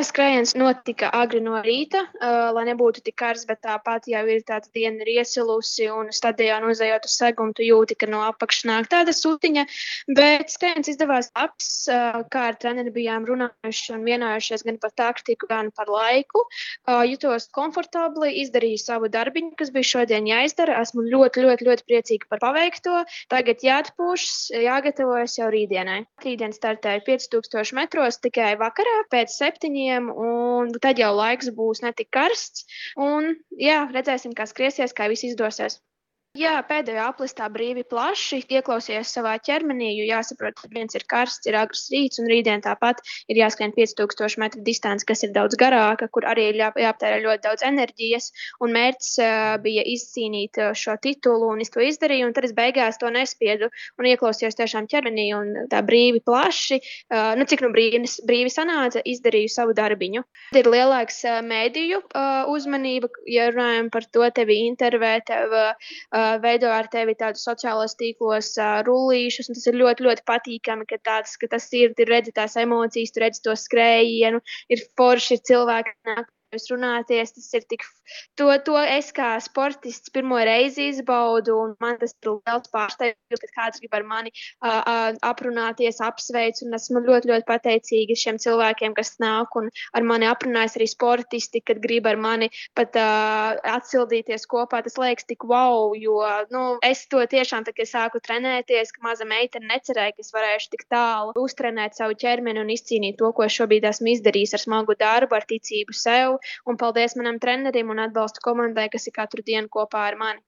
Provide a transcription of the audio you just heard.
Skrējiens notika agri no rīta, lai nebūtu tik karsts, bet tāpat jau ir tāda diena ir iesilusi un stadionā nozejot uz segumu, tu jūti, ka no apakšas nāk tāda sutiņa, bet skrējiens izdevās labs, kā ar treneri bijām runājuši un vienojušies gan par taktiku, gan par laiku. Jutos komfortabli, izdarīju savu darbiņu, kas bija šodien jāizdara. Esmu ļoti, ļoti, ļoti priecīga par paveikto. Tagad jāatpūšas, jāgatavojas jau rītdienai. Rītdien startēju 5000 metros tikai vakarā pēc 7. Un tad jau laiks būs ne tik karsts. Un, jā, redzēsim, kā skriesies, kā viss izdosies. Jā, pēdējā aplistā brīvi plaši ieklausījos savā ķermenī, jo jāsaprot, ka viens ir karsts, ir agrs rīts, un rītdien tāpat ir jāskrien 5000 metru distanci, kas ir daudz garāka, kur arī ir jāaptērē ļoti daudz enerģijas, un mērķis bija izcīnīt šo titulu, un es to izdarīju, un tad es beigās to nespiedu, un ieklausījos tiešām ķermenī, un tā brīvi plaši, cik nu brīvi sanāca, izdarīju savu darbiņu. Tad ir lielāks mēdīju uzmanība, ja runājam par to, tevi intervē, tev veido ar tevi tādus sociālos tīklos rullīšus, un tas ir ļoti, ļoti patīkami, ka tas ir, tu redzi tās emocijas, tu redzi to skrējienu, ir forši, ir cilvēki, nāk jūs runāties, tas ir tik, to es kā sportists pirmo reizi izbaudu, un man tas ir liels pārsteigums, kad kāds grib ar mani aprunāties, apsveic, un esmu ļoti, ļoti pateicīga šiem cilvēkiem, kas nāk un ar mani aprunājas arī sportisti, kad grib ar mani pat atsildīties kopā, tas liekas tik wow, jo, es to tiešām, tā, kad sāku trenēties, ka maza meitene necerēja, ka es varēšu tik tālu uztrenēt savu ķermeni un izcīnīt to, ko šobrīd esmu izdarījis ar smagu darbu, ar ticību sev, un paldies manam trenerim un atbalstu komandai, kas ir katru dienu kopā ar mani.